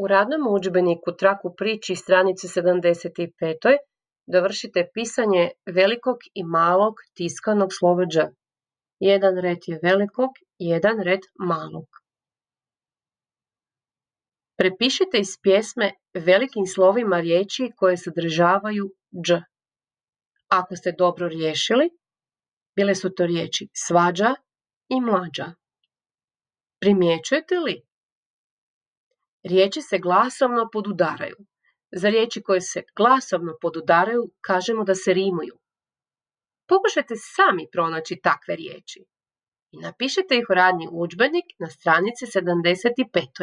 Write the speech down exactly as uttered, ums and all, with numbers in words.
U radnom udžbeniku Trak u priči stranici sedamdeset pet dovršite pisanje velikog i malog tiskanog slova Đ. Jedan red je velikog, jedan red malog. Prepišite iz pjesme velikim slovima riječi koje sadržavaju Đ. Ako ste dobro riješili, bile su to riječi svađa i mlađa. Primjećujete li? Riječi se glasovno podudaraju. Za riječi koje se glasovno podudaraju kažemo da se rimuju. Pokušajte sami pronaći takve riječi i napišite ih u radni udžbenik na stranici sedamdeset pet